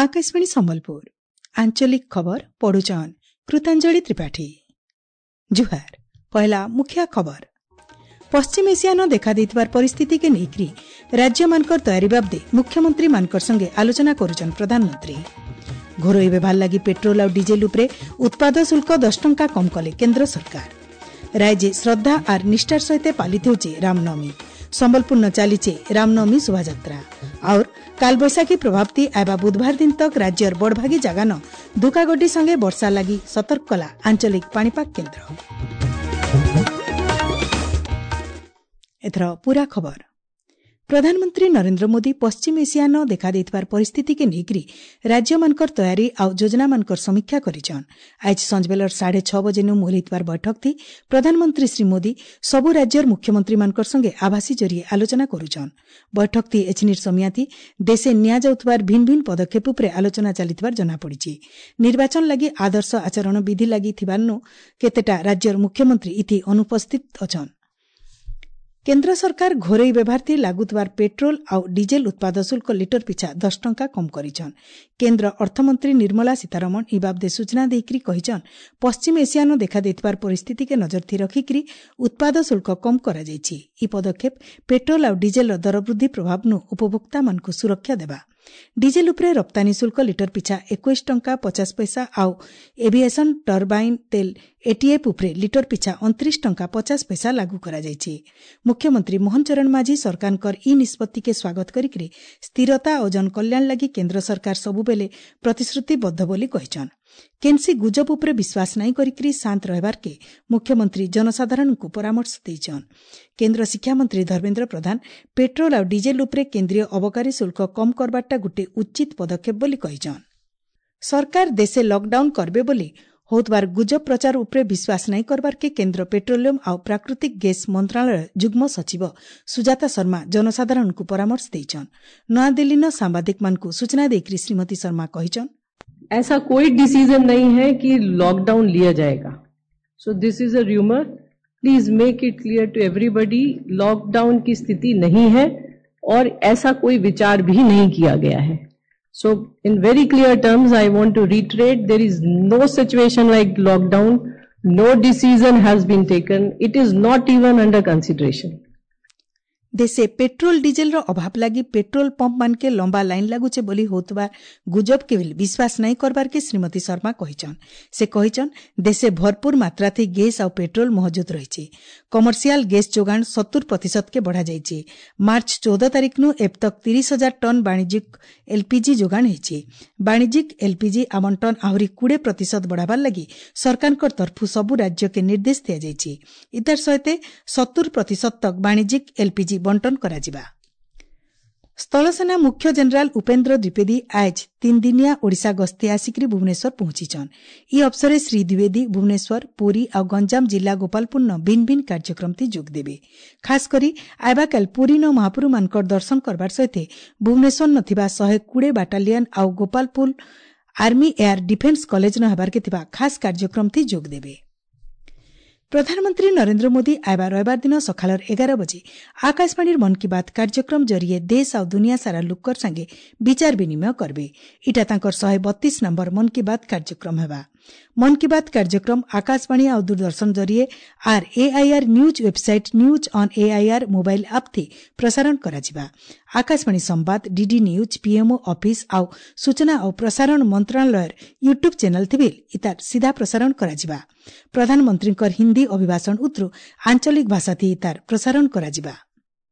ଆକାଶବାଣୀ ସମ୍ବଲପୁର ଆଞ୍ଚଳିକ ଖବର ପଢୁଛନ୍ କୃତାଞ୍ଜଳି ତ୍ରିପାଠୀ। ଜୁହାର। ପହେଲା ମୁଖ୍ୟ ଖବର। ପଶ୍ଚିମ ଏସିଆନ ଦେଖାଦେଇଥିବାର ପରିସ୍ଥିତିକେ ନେଇକରି ରାଜ୍ୟମାନଙ୍କର ତୟାରୀ ବାବଦେ ମୁଖ୍ୟମନ୍ତ୍ରୀମାନଙ୍କର ସଙ୍ଗେ ଆଲୋଚନା କରୁଛନ୍ ପ୍ରଧାନମନ୍ତ୍ରୀ। ଘରୋଇ ବ୍ୟବହାର ଲାଗି ପେଟ୍ରୋଲ ଆଉ ଡିଜେଲ ଉପରେ ଉତ୍ପାଦ ଶୁଳ୍କ 10 ଟଙ୍କା କମ୍ କଲେ କେନ୍ଦ୍ର ସରକାର। ରାଜ୍ୟେ ଶ୍ରଦ୍ଧା ଆର୍ ନିଷ୍ଠାର ସହିତ ପାଳିତ ହେଉଛି ରାମନବମୀ। ସମ୍ବଲପୁରନ ଚାଲିଛେ ରାମନବମୀ ଶୋଭାଯାତ୍ରା। ଆଉର୍ କାଲବୈଶାଖୀ ପ୍ରଭାବତି ଆଇବା ବୁଧବାର ଦିନ ତକ ରାଜ୍ୟର ବଡ଼ଭାଗୀ ଜାଗାନ ଧୁକାଗଡି ସଙ୍ଗେ ବର୍ଷା ଲାଗି ସତର୍କ କଲା ଆଞ୍ଚଳିକ ପାଣିପାଗ କେନ୍ଦ୍ର। ଏଥର ପୂରା ଖବର। ପ୍ରଧାନମନ୍ତ୍ରୀ ନରେନ୍ଦ୍ର ମୋଦି ପଶ୍ଚିମ ଏସିଆନ ଦେଖାଦେଇଥିବାର ପରିସ୍ଥିତିକେ ନେଇକରି ରାଜ୍ୟମାନଙ୍କର ତୟାରୀ ଆଉ ଯୋଜନାମାନଙ୍କର ସମୀକ୍ଷା କରିଛନ୍। ଆଜି ସଞ୍ଜବେଲର 6:30 ବଜେନୁ ମୁହଲିଥିବାର ବୈଠକଥି ପ୍ରଧାନମନ୍ତ୍ରୀ ଶ୍ରୀ ମୋଦି ସବୁ ରାଜ୍ୟର ମୁଖ୍ୟମନ୍ତ୍ରୀମାନଙ୍କର ସଙ୍ଗେ ଆଭାସୀ ଜରିଏ ଆଲୋଚନା କରୁଛନ୍। ବୈଠକଥି ଏଛିନିର ସମିଆତି ଦେଶେ ନିଆଯାଉଥିବାର ଭିନ୍ନ ଭିନ୍ନ ପଦକ୍ଷେପ ଉପରେ ଆଲୋଚନା ଚାଲିଥିବାର ଜଣାପଡ଼ିଛି। ନିର୍ବାଚନ ଲାଗି ଆଦର୍ଶ ଆଚରଣ ବିଧି ଲାଗି ଥିବାରୁ କେତେଟା ରାଜ୍ୟର ମୁଖ୍ୟମନ୍ତ୍ରୀ ଇଥି ଅନୁପସ୍ଥିତ ଅଛନ୍। କେନ୍ଦ୍ର ସରକାର ଘରୋଇ ବ୍ୟବହାରଥି ଲାଗୁଥିବାର ପେଟ୍ରୋଲ ଆଉ ଡିଜେଲ ଉତ୍ପାଦ ଶୁଳ୍କ ଲିଟର ପିଛା 10 ଟଙ୍କା କମ୍ କରିଛନ୍। କେନ୍ଦ୍ର ଅର୍ଥମନ୍ତ୍ରୀ ନିର୍ମଳା ସୀତାରମଣ ଇ ବାବଦେ ସୂଚନା ଦେଇକରି କହିଛନ୍, ପଶ୍ଚିମ ଏସିଆନ ଦେଖାଦେଇଥିବାର ପରିସ୍ଥିତିକେ ନଜରଥି ରଖିକରି ଉତ୍ପାଦ ଶୁଳ୍କ କମ୍ କରାଯାଇଛି। ଇ ପଦକ୍ଷେପ ପେଟ୍ରୋଲ ଆଉ ଡିଜେଲର ଦରବୃଦ୍ଧି ପ୍ରଭାବନୁ ଉପଭୋକ୍ତାମାନଙ୍କୁ ସୁରକ୍ଷା ଦେବା। ଡିଜେଲ ଉପରେ ରପ୍ତାନୀ ଶୁଳ୍କ ଲିଟର ପିଛା 21 ଟଙ୍କା 50 ପଇସା ଆଉ ଏଭିଏସନ ଟର୍ବାଇନ୍ ତେଲ ଏଟିଏଫ୍ ଉପରେ ଲିଟର ପିଛା 29 ଟଙ୍କା 50 ପଇସା ଲାଗୁ କରାଯାଇଛି। ମୁଖ୍ୟମନ୍ତ୍ରୀ ମୋହନ ଚରଣ ମାଝୀ ସରକାରଙ୍କର ଇ ନିଷ୍ପତ୍ତିକେ ସ୍ୱାଗତ କରିକରି ସ୍ଥିରତା ଓ ଜନକଲ୍ୟାଣ ଲାଗି କେନ୍ଦ୍ର ସରକାର ସବୁବେଳେ ପ୍ରତିଶ୍ରୁତିବଦ୍ଧ ବୋଲି କହିଛନ୍। କେନ୍ସି ଗୁଜବ ଉପରେ ବିଶ୍ୱାସ ନାଇଁ କରିକରି ଶାନ୍ତ ରହିବାର୍କେ ମୁଖ୍ୟମନ୍ତ୍ରୀ ଜନସାଧାରଣଙ୍କୁ ପରାମର୍ଶ ଦେଇଛନ୍। କେନ୍ଦ୍ର ଶିକ୍ଷାମନ୍ତ୍ରୀ ଧର୍ମେନ୍ଦ୍ର ପ୍ରଧାନ ପେଟ୍ରୋଲ ଆଉ ଡିଜେଲ ଉପରେ କେନ୍ଦ୍ରୀୟ ଅବକାରୀ ଶୁଳ୍କ କମ୍ କରବାରଟା ଗୋଟିଏ ଉଚିତ ପଦକ୍ଷେପ ବୋଲି କହିଛନ୍। ସରକାର ଦେଶେ ଲକଡାଉନ କରବେ ବୋଲି ହେଉଥିବାର ଗୁଜବ ପ୍ରଚାର ଉପରେ ବିଶ୍ୱାସ ନାଇଁ କରବାର୍କେ କେନ୍ଦ୍ର ପେଟ୍ରୋଲିୟମ ଆଉ ପ୍ରାକୃତିକ ଗ୍ୟାସ୍ ମନ୍ତ୍ରଣାଳୟ ଯୁଗ୍ମ ସଚିବ ସୁଜାତା ଶର୍ମା ଜନସାଧାରଣଙ୍କୁ ପରାମର୍ଶ ଦେଇଛନ୍। ନୂଆଦିଲ୍ଲୀନ ସାମ୍ବାଦିକମାନଙ୍କୁ ସୂଚନା ଦେଇକରି ଶ୍ରୀମତୀ ଶର୍ମା କହିଛନ୍, ऐसा कोई डिसीजन नहीं है कि लॉकडाउन लिया जाएगा। So this is a rumour, please make it clear to everybody, lockdown की स्थिति नहीं है और ऐसा कोई विचार भी नहीं किया गया है। So in very clear terms I want to reiterate, there is no situation like lockdown, no decision has been taken, it is not even under consideration. ଦେଶେ ପେଟ୍ରୋଲ ଡିଜେଲର ଅଭାବ ଲାଗି ପେଟ୍ରୋଲ ପମ୍ପ ମାନକେ ଲମ୍ବା ଲାଇନ୍ ଲାଗୁଛେ ବୋଲି ହେଉଥିବା ଗୁଜବକେ ବିଶ୍ୱାସ ନାଇଁ କରବାର୍କେ ଶ୍ରୀମତୀ ଶର୍ମା କହିଛନ୍। ସେ କହିଛନ୍, ଦେଶେ ଭରପୁର ମାତ୍ରାଥି ଗ୍ୟାସ୍ ଆଉ ପେଟ୍ରୋଲ ମହଜୁଦ ରହିଛି। କମର୍ସିଆଲ ଗ୍ୟାସ୍ ଯୋଗାଣ 70% ବଢ଼ାଯାଇଛି। ମାର୍ଚ୍ଚ 14 ତାରିଖନୁ ଏବେ ତକ୍ 30,000 ଟନ୍ ବାଣିଜ୍ୟିକ ଏଲ୍ପିଜି ଯୋଗାଣ ହେଇଛି। ବାଣିଜ୍ୟିକ ଏଲ୍ପିଜି ଆବଣ୍ଟନ ଆହୁରି 20% ବଢ଼ାବାର ଲାଗି ସରକାରଙ୍କ ତରଫୁ ସବୁ ରାଜ୍ୟକେ ନିର୍ଦ୍ଦେଶ ଦିଆଯାଇଛି। ଇତାର ସହିତ 70% ତକ୍ ବାଣିଜ୍ୟିକ ଏଲ୍ପିଜି ବଣ୍ଟନ କରାଯିବା। ସ୍ଥଳସେନା ମୁଖ୍ୟ ଜେନେରାଲ ଉପେନ୍ଦ୍ର ଦ୍ୱିବେଦୀ ଆଜ 3 ଦିନିଆ ଓଡ଼ିଶା ଗସ୍ତେ ଆସିକରି ଭୁବନେଶ୍ୱର ପହଞ୍ଚିଛନ୍। ଇ ଅବସରେ ଶ୍ରୀ ଦ୍ୱିବେଦୀ ଭୁବନେଶ୍ୱର, ପୁରୀ ଆଉ ଗଞ୍ଜାମ ଜିଲ୍ଲା ଗୋପାଳପୁରନ ଭିନ୍ନ ଭିନ୍ନ କାର୍ଯ୍ୟକ୍ରମଥି ଯୋଗ ଦେବେ। ଖାସ୍ କରି ଆଇବାକାଲ ପୁରୀନ ମହାପ୍ରଭୁମାନଙ୍କର ଦର୍ଶନ କରବାର ସହିତ ଭୁବନେଶ୍ୱର ଥିବା 120 ବାଟାଲିୟନ ଆଉ ଗୋପାଳପୁର ଆର୍ମି ଏୟାର ଡିଫେନ୍ସ କଲେଜନ ହେବାର୍କେ ଥିବା ଖାସ୍ କାର୍ଯ୍ୟକ୍ରମଥି ଯୋଗ ଦେବେ। ପ୍ରଧାନମନ୍ତ୍ରୀ ନରେନ୍ଦ୍ର ମୋଦି ଆଇବା ରବିବାର ଦିନ ସକାଳର 11 ବଜେ ଆକାଶବାଣୀର ମନ୍ କି ବାତ୍ କାର୍ଯ୍ୟକ୍ରମ ଜରିଏ ଦେଶ ଆଉ ଦୁନିଆ ସାରା ଲୋକର ସାଙ୍ଗେ ବିଚାର ବିନିମୟ କରବେ। ଇଟା ତାଙ୍କର 132 ନମ୍ବର ମନ୍ କି ବାତ୍ କାର୍ଯ୍ୟକ୍ରମ ହେବା। ମନ୍ କି ବାତ୍ କାର୍ଯ୍ୟକ୍ରମ ଆକାଶବାଣୀ ଆଉ ଦୂରଦର୍ଶନ ଜରିଏ ଆର୍ AIR news website, news on AIR mobile app ଥି ପ୍ରସାରଣ କରାଯିବା। ଆକାଶବାଣୀ ସମ୍ବାଦ, ଡିଡି ନ୍ୟୁଜ୍, ପିଏମ୍ଓ ଅଫିସ୍ ଆଉ ସୂଚନା ଓ ପ୍ରସାରଣ ମନ୍ତ୍ରଣାଳୟର ୟୁଟ୍ୟୁବ୍ ଚ୍ୟାନେଲ୍ ଥି ଇତାର ସିଧା ପ୍ରସାରଣ କରାଯିବା। ପ୍ରଧାନମନ୍ତ୍ରୀଙ୍କର ହିନ୍ଦୀ ଅଭିଭାଷଣ ଉତ୍ରୁ ଆଞ୍ଚଳିକ ଭାଷାଥି ଇତାର ପ୍ରସାରଣ କରାଯିବା।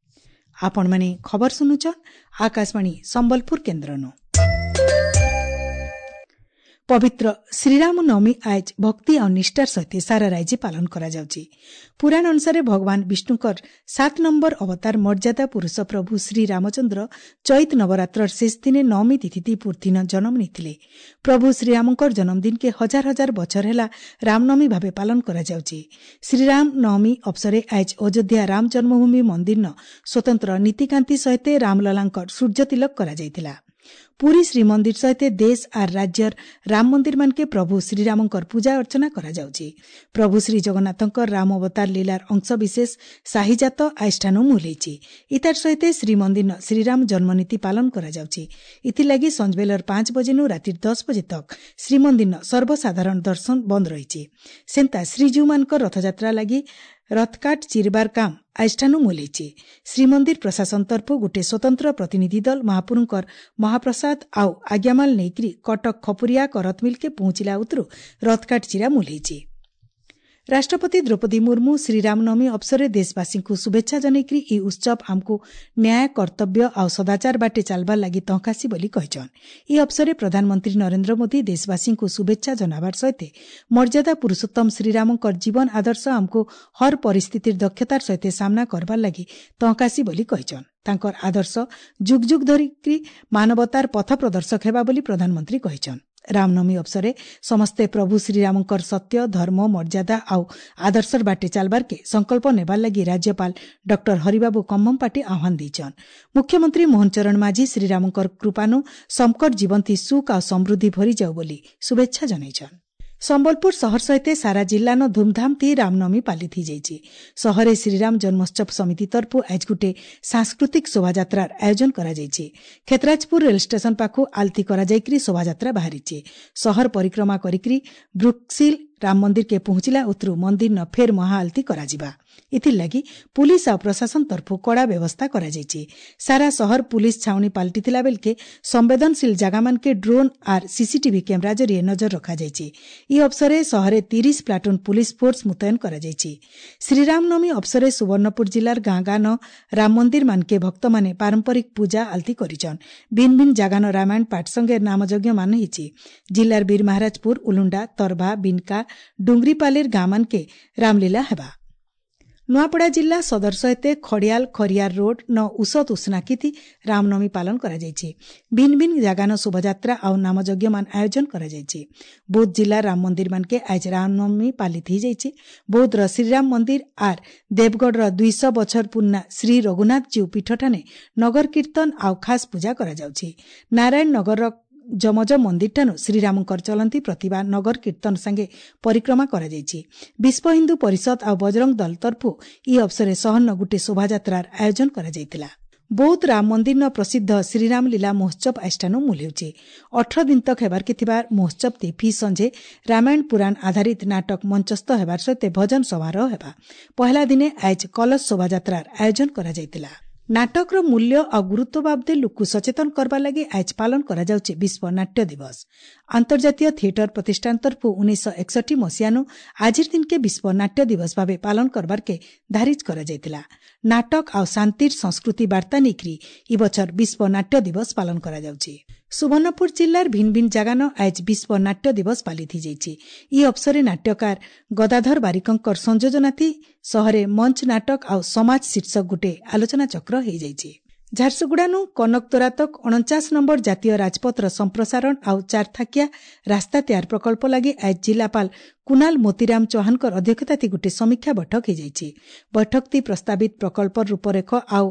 ଆପଣମାନେ ଖବର ଶୁଣୁଛନ୍ ଆକାଶବାଣୀ ସମ୍ବଲପୁର କେନ୍ଦ୍ରନୁ। ପବିତ୍ର ଶ୍ରୀରାମ ନବମୀ ଆଜ ଭକ୍ତି ଆଉ ନିଷ୍ଠାର ସହିତ ସାରା ରାଜ୍ୟ ପାଳନ କରାଯାଉଛି। ପୁରାଣ ଅନୁସାରେ ଭଗବାନ ବିଷ୍ଣୁଙ୍କର 7 ନମ୍ବର ଅବତାର ମର୍ଯ୍ୟାଦା ପୁରୁଷ ପ୍ରଭୁ ଶ୍ରୀରାମଚନ୍ଦ୍ର ଚୈତ ନବରାତ୍ରର ଶେଷ ଦିନେ ନବମୀ ତିଥି ପୂର୍ତ୍ତିନ ଜନ୍ମ ନେଇଥିଲେ। ପ୍ରଭୁ ଶ୍ରୀରାମଙ୍କର ଜନ୍ମଦିନକେ ହଜାର ହଜାର ବଛର ହେଲା ରାମନବମୀ ଭାବେ ପାଳନ କରାଯାଉଛି। ଶ୍ରୀରାମ ନବମୀ ଅବସରେ ଆଜ ଅଯୋଧ୍ୟା ରାମ ଜନ୍ମଭୂମି ମନ୍ଦିରନ ସ୍ୱତନ୍ତ୍ର ନୀତିକାନ୍ତି ସହିତ ରାମଲଲାଙ୍କର ସୂର୍ଯ୍ୟ ତିଲକ କରାଯାଇଥିଲା। ପୁରୀ ଶ୍ରୀମନ୍ଦିର ସହିତ ଦେଶ ଆର୍ ରାଜ୍ୟର ରାମ ମନ୍ଦିରମାନକେ ପ୍ରଭୁ ଶ୍ରୀରାମଙ୍କର ପୂଜା ଅର୍ଚ୍ଚନା କରାଯାଉଛି। ପ୍ରଭୁ ଶ୍ରୀ ଜଗନ୍ନାଥଙ୍କର ରାମ ଅବତାର ଲୀଳାର ଅଂଶବିଶେଷ ସାହିଜାତ ଆଇଷ୍ଠାନୁ ମୂଲେଇଛି। ଇତାର ସହିତ ଶ୍ରୀମନ୍ଦିର ଶ୍ରୀରାମ ଜନ୍ମନୀତି ପାଳନ କରାଯାଉଛି। ଏଥିଲାଗି ସଞ୍ଜବେଲର 5 ବଜେନୁ ରାତି 10 ବଜେ ତକ୍ ଶ୍ରୀମନ୍ଦିର ସର୍ବସାଧାରଣ ଦର୍ଶନ ବନ୍ଦ ରହିଛି। ସେନ୍ତା ଶ୍ରୀଜୀଉମାନଙ୍କର ରଥଯାତ୍ରା ଲାଗି ରଥକାଠ ଚିରବାର କାମ ଆଇଷ୍ଠାନୁ ମୂଲେଇଛି। ଶ୍ରୀମନ୍ଦିର ପ୍ରଶାସନ ତରଫୁ ଗୋଟିଏ ସ୍ୱତନ୍ତ୍ର ପ୍ରତିନିଧି ଦଳ ମହାପୁରୁଙ୍କର ମହାପ୍ରସାଦ ଆଉ ଆଜ୍ଞାମାଲ ନେଇକରି କଟକ ଖପୁରିଆ କରତମିଲକେ ପହଞ୍ଚିଲା ଉତରୁ ରଥକାଠ ଚିରା ମୂଲେଇଛି। ରାଷ୍ଟ୍ରପତି ଦ୍ରୌପଦୀ ମୁର୍ମୁ ଶ୍ରୀରାମନବମୀ ଅବସରରେ ଦେଶବାସୀଙ୍କୁ ଶୁଭେଚ୍ଛା ଜଣାଇକରି ଇ ଉତ୍ସବ ଆମକୁ ନ୍ୟାୟ, କର୍ତ୍ତବ୍ୟ ଆଉ ସଦାଚାର ବାଟେ ଚାଲବାର ଲାଗି ତହକାସି ବୋଲି କହିଛନ୍। ଇ ଅବସରରେ ପ୍ରଧାନମନ୍ତ୍ରୀ ନରେନ୍ଦ୍ର ମୋଦି ଦେଶବାସୀଙ୍କୁ ଶୁଭେଚ୍ଛା ଜଣାବାର ସହିତ ମର୍ଯ୍ୟାଦା ପୁରୁଷୋତ୍ତମ ଶ୍ରୀରାମଙ୍କର ଜୀବନ ଆଦର୍ଶ ଆମକୁ ହର ପରିସ୍ଥିତିର ଦକ୍ଷତାର ସହିତ ସାମ୍ନା କରବାର ଲାଗି ତହକାସି ବୋଲି କହିଛନ୍। ତାଙ୍କର ଆଦର୍ଶ ଯୁଗ ଯୁଗ ଧରିକି ମାନବତାର ପଥ ପ୍ରଦର୍ଶକ ହେବା ବୋଲି ପ୍ରଧାନମନ୍ତ୍ରୀ କହିଛନ୍। ରାମନବମୀ ଅବସରରେ ସମସ୍ତେ ପ୍ରଭୁ ଶ୍ରୀରାମଙ୍କର ସତ୍ୟ, ଧର୍ମ, ମର୍ଯ୍ୟାଦା ଆଉ ଆଦର୍ଶର ବାଟେ ଚାଲବାରକେ ସଂକଳ୍ପ ନେବାର ଲାଗି ରାଜ୍ୟପାଳ ଡକ୍ଟର ହରିବାବୁ କମ୍ଭମପାଟି ଆହ୍ୱାନ ଦେଇଛନ୍। ମୁଖ୍ୟମନ୍ତ୍ରୀ ମୋହନ ଚରଣ ମାଝୀ ଶ୍ରୀରାମଙ୍କର କୃପାନୁ ସମକର ଜୀବନ୍ତୀ ସୁଖ ଆଉ ସମୃଦ୍ଧି ଭରିଯାଉ ବୋଲି ଶୁଭେଚ୍ଛା ଜଣାଇଛନ୍। ସମ୍ବଲପୁର ସହର ସହିତ ସାରା ଜିଲ୍ଲାନ ଧୁମଧାମ ଥି ରାମନବମୀ ପାଲିତ ହେଇଯାଇଛି। ସହରେ ଶ୍ରୀରାମ ଜନ୍ମୋତ୍ସବ ସମିତି ତରଫୁ ଆଜ ଗୁଟେ ସାଂସ୍କୃତିକ ଶୋଭାଯାତ୍ରାର ଆୟୋଜନ କରାଯାଇଛି। ଖେତରାଜପୁର ରେଳ ଷ୍ଟେସନ ପାଖୁ ଆଲତି କରାଯାଇକରି ଶୋଭାଯାତ୍ରା ବାହାରିଛି। ସହର ପରିକ୍ରମା କରିକରି ବ୍ରୁକ୍ସିଲ ରାମ ମନ୍ଦିରକେ ପହଞ୍ଚିଲା ଉତରୁ ମନ୍ଦିର ନ ଫେର ମହାଆଳତି କରାଯିବା। ଏଥିର୍ଲାଗି ପୁଲିସ ଆଉ ପ୍ରଶାସନ ତରଫୁ କଡ଼ା ବ୍ୟବସ୍ଥା କରାଯାଇଛି। ସାରା ସହର ପୁଲିସ ଛାଉଣି ପାଲଟିଥିଲା ବେଲକେ ସମ୍ବେଦନଶୀଳ ଜାଗାମାନକେ ଡ୍ରୋନ୍ ଆର୍ ସିସିଟିଭି କ୍ୟାମେରା ଜରିଏ ନଜର ରଖାଯାଇଛି। ଇ ଅବସରରେ ସହରେ 30 ପ୍ଲାଟୁନ ପୁଲିସ ଫୋର୍ସ ମୁତୟନ କରାଯାଇଛି। ଶ୍ରୀରାମନବମୀ ଅବସରରେ ସୁବର୍ଣ୍ଣପୁର ଜିଲ୍ଲାର ଗାଁ ଗାଁ ନ ରାମ ମନ୍ଦିର ମାନକେ ଭକ୍ତମାନେ ପାରମ୍ପରିକ ପୂଜା ଆଳତି କରିଛନ୍। ଭିନ୍ ଭିନ୍ ଜାଗାନ ରାମାୟଣ ପାଠ ସଙ୍ଗେ ନାମଯଜ୍ଞ ମାନ ହେଇଛି। ଜିଲ୍ଲାର ବୀର ମହାରାଜପୁର, ଉଲୁଣ୍ଡା, ତରଭା, ବିନକା, ଡୁଙ୍ଗରିପାଲିର ଗାଁମାନକେ ରାମଲୀଳା ହେବା। ନୂଆପଡ଼ା ଜିଲ୍ଲା ସଦର ସହିତ ଖଡ଼ିଆଲ ଖରିଆର ରୋଡ ନ ଉଷତ ଉଷ୍ଣାକିତି ରାମନବମୀ ପାଳନ କରାଯାଇଛି। ଭିନ୍ ଭିନ୍ ଜାଗାନ ଶୋଭାଯାତ୍ରା ଆଉ ନାମଯଜ୍ଞମାନ ଆୟୋଜନ କରାଯାଇଛି। ବୌଦ୍ଧ ଜିଲ୍ଲା ରାମ ମନ୍ଦିର ମାନକେ ଆଜ ରାମନବମୀ ପାଲିତ ହେଇଯାଇଛି। ବୌଦ୍ଧର ଶ୍ରୀରାମ ମନ୍ଦିର ଆର୍ ଦେବଗଡ଼ର 200 ବଛର ପୁରୁଣା ଶ୍ରୀ ରଘୁନାଥ ଜୀଉ ପୀଠଠାନେ ନଗର କୀର୍ତ୍ତନ ଆଉ ଖାସ୍ ପୂଜା କରାଯାଉଛି। ନାରାୟଣ ନଗରର ଯମଜ ମନ୍ଦିରଠାନୁ ଶ୍ରୀରାମଙ୍କର ଚଲନ୍ତି ପ୍ରତିଭା ନଗର କୀର୍ତ୍ତନ ସାଙ୍ଗେ ପରିକ୍ରମା କରାଯାଇଛି। ବିଶ୍ୱ ହିନ୍ଦୁ ପରିଷଦ ଆଉ ବଜରଙ୍ଗ ଦଳ ତରଫୁ ଇ ଅବସରରେ ସହରନ ଗୋଟିଏ ଶୋଭାଯାତ୍ରାର ଆୟୋଜନ କରାଯାଇଥିଲା। ବୌଦ୍ଧ ରାମ ମନ୍ଦିରନ ପ୍ରସିଦ୍ଧ ଶ୍ରୀରାମ ଲୀଳା ମହୋତ୍ସବ ଆଇଷ୍ଠାନୁ ମୂଲ ହେଉଛି। 18 ଦିନ ତକ ହେବାରକେ ଥିବା ମହୋତ୍ସବ ତି ଫି ସଞ୍ଜେ ରାମାୟଣ ପୁରାଣ ଆଧାରିତ ନାଟକ ମଞ୍ଚସ୍ଥ ହେବାର ସହିତ ଭଜନ ସମାରୋହ ହେବା। ପହଲା ଦିନେ ଆଜ କଲଶ ଶୋଭାଯାତ୍ରାର ଆୟୋଜନ କରାଯାଇଥିଲା। ନାଟକର ମୂଲ୍ୟ ଆଉ ଗୁରୁତ୍ୱ ବାବଦେ ଲୋକକୁ ସଚେତନ କରବା ଲାଗି ଆଜ ପାଳନ କରାଯାଉଛି ବିଶ୍ୱ ନାଟ୍ୟ ଦିବସ। ଆନ୍ତର୍ଜାତୀୟ ଥିଏଟର ପ୍ରତିଷ୍ଠାନ ତରଫୁ 1961 ମସିହାନୁ ଆଜିର ଦିନକେ ବିଶ୍ୱ ନାଟ୍ୟ ଦିବସ ଭାବେ ପାଳନ କରବାରକେ ଧାରିଜ କରାଯାଇଥିଲା। ନାଟକ ଆଉ ଶାନ୍ତିର ସଂସ୍କୃତି ବାର୍ତ୍ତା ନେଇକରି ଇ ବଛର ବିଶ୍ୱ ନାଟ୍ୟ ଦିବସ ପାଳନ କରାଯାଉଛି। ସୁବର୍ଣ୍ଣପୁର ଜିଲ୍ଲାର ଭିନ୍ ଭିନ୍ ଜାଗାନ ଆଜ ବିଶ୍ୱ ନାଟ୍ୟ ଦିବସ ପାଲିତ ହେଇଯାଇଛି। ଇ ଅବସରରେ ନାଟ୍ୟକାର ଗଦାଧର ବାରିକଙ୍କର ସଂଯୋଜନାଥି ସହରେ ମଞ୍ଚ ନାଟକ ଆଉ ସମାଜ ଶୀର୍ଷକ ଗୋଟେ ଆଲୋଚନା ଚକ୍ର ହେଇଯାଇଛି। ଝାରସୁଗୁଡ଼ାନୁ କନକତୋରା ତକ୍ 49 ନମ୍ବର ଜାତୀୟ ରାଜପଥର ସମ୍ପ୍ରସାରଣ ଆଉ ଚାରଥାକିଆ ରାସ୍ତା ତିଆର ପ୍ରକଳ୍ପ ଲାଗି ଆଜ ଜିଲ୍ଲାପାଳ କୁନାଲ ମୋତିରାମ ଚୌହାନଙ୍କର ଅଧ୍ୟକ୍ଷତାଥି ଗୋଟିଏ ସମୀକ୍ଷା ବୈଠକ ହେଇଯାଇଛି। ବୈଠକଟି ପ୍ରସ୍ତାବିତ ପ୍ରକଳ୍ପର ରୂପରେଖ ଆଉ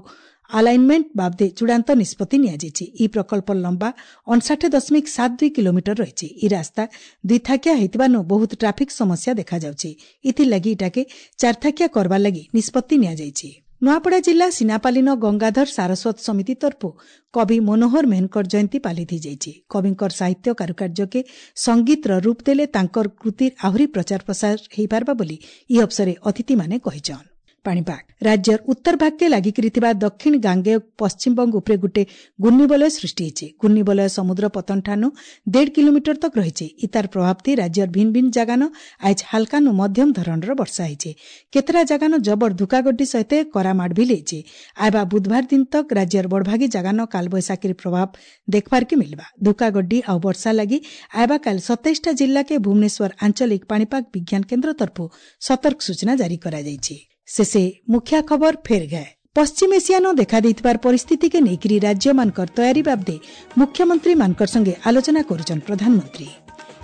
ଆଲାଇନମେଣ୍ଟ ବାବଦେ ଚୂଡ଼ାନ୍ତ ନିଷ୍ପତ୍ତି ନିଆଯାଇଛି। ଇ ପ୍ରକଳ୍ପର ଲମ୍ବା 59.72 କିଲୋମିଟର ରହିଛି। ଇ ରାସ୍ତା ଦୁଇଥାକିଆ ହେଇଥିବାନୁ ବହୁତ ଟ୍ରାଫିକ ସମସ୍ୟା ଦେଖାଯାଉଛି। ଏଥିଲାଗି ଇଟାକେ ଚାରଥାକିଆ କରବାର ଲାଗି ନିଷ୍ପତ୍ତି ନିଆଯାଇଛି। ନୂଆପଡ଼ା ଜିଲ୍ଲା ସିନାପାଲିନ ଗଙ୍ଗାଧର ସାରସ୍ୱତ ସମିତି ତରଫୁ କବି ମନୋହର ମେହେରଙ୍କର ଜୟନ୍ତୀ ପାଲିତ ହେଇଯାଇଛି। କବିଙ୍କର ସାହିତ୍ୟ କାରୁକାର୍ଯ୍ୟକେ ସଙ୍ଗୀତର ରୂପ ଦେଲେ ତାଙ୍କର କୃତିର ଆହୁରି ପ୍ରଚାର ପ୍ରସାର ହେଇପାରବା ବୋଲି ଇ ଅବସରରେ ଅତିଥିମାନେ କହିଛନ୍। ପାଣିପାଗ ରାଜ୍ୟର ଉତ୍ତର ଭାଗକେ ଲାଗିକରି ଥିବା ଦକ୍ଷିଣ ଗାଙ୍ଗେୟ ପଶ୍ଚିମବଙ୍ଗ ଉପରେ ଗୋଟେ ଘୂର୍ଣ୍ଣିବଳୟ ସୃଷ୍ଟି ହେଇଛି। ଘୂର୍ଣ୍ଣିବଳୟ ସମୁଦ୍ର ପତନ ଠାନୁ 1.5 କିଲୋମିଟର ତକ ରହିଛି। ଇତାର ପ୍ରଭାବତି ରାଜ୍ୟର ଭିନ୍ ଭିନ୍ ଜାଗାନ ଆଜ ହାଲକାନୁ ମଧ୍ୟମ ଧରଣର ବର୍ଷା ହେଇଛି। କେତେଟା ଜାଗାନ ଜବର ଧୁକାଗଡ୍ଡି ସହିତ କରାମାଡ଼ ବି ଲେଇଛି। ଆଇବା ବୁଧବାର ଦିନ ତକ ରାଜ୍ୟର ବଡ଼ଭାଗୀ ଜାଗାନ କାଲବୈଶାଖୀର ପ୍ରଭାବ ଦେଖବାରକେ ମିଲବା। ଧୁକାଗଡ୍ଡି ଆଉ ବର୍ଷା ଲାଗି ଆଇବା କାଲ 27ଟା ଜିଲ୍ଲାକେ ଭୁବନେଶ୍ୱର ଆଞ୍ଚଳିକ ପାଣିପାଗ ବିଜ୍ଞାନ କେନ୍ଦ୍ର ତରଫୁ ସତର୍କ ସୂଚନା ଜାରି କରାଯାଇଛି। ଶେଷେ ମୁଖ୍ୟ ଖବର ଫେର ଗଏ। ପଶ୍ଚିମ ଏସିଆନ ଦେଖାଦେଇଥିବାର ପରିସ୍ଥିତିକେ ନେଇକରି ରାଜ୍ୟମାନଙ୍କର ତୟାରୀ ବାବଦେ ମୁଖ୍ୟମନ୍ତ୍ରୀମାନଙ୍କର ସଙ୍ଗେ ଆଲୋଚନା କରୁଛନ୍ ପ୍ରଧାନମନ୍ତ୍ରୀ।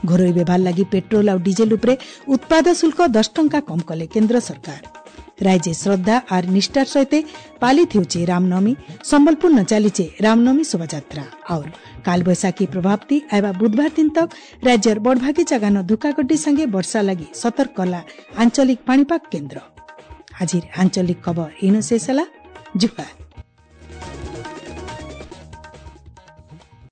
ଘରୋଇ ବ୍ୟବହାର ଲାଗି ପେଟ୍ରୋଲ ଆଉ ଡିଜେଲ ଉପରେ ଉତ୍ପାଦ ଶୁଳ୍କ 10 ଟଙ୍କା କମ୍ କଲେ କେନ୍ଦ୍ର ସରକାର। ରାଜ୍ୟ ଶ୍ରଦ୍ଧା ଆର୍ ନିଷ୍ଠାର ସହିତ ପାଲିତ ହେଉଛି ରାମନବମୀ। ସମ୍ବଲପୁର ନ ଚାଲିଛେ ରାମନବମୀ ଶୋଭାଯାତ୍ରା। और କାଲବୈଶାଖୀ ପ୍ରଭାବତି ଆଇବା ବୁଧବାର ଦିନ ତକ ରାଜ୍ୟର ବଡ଼ଭାଗୀ ଜାଗାନ ଧୁକାଗड्डी संगे ବର୍ଷା ଲାଗି ସତର୍କ କଲା ଆଞ୍ଚଳିକ ପାଣିପାଗ କେନ୍ଦ୍ର। ଆଜିର ଆଞ୍ଚଳିକ ଖବର ଇନୁ ଶେଷ ହେଲା। ଜୁହାର।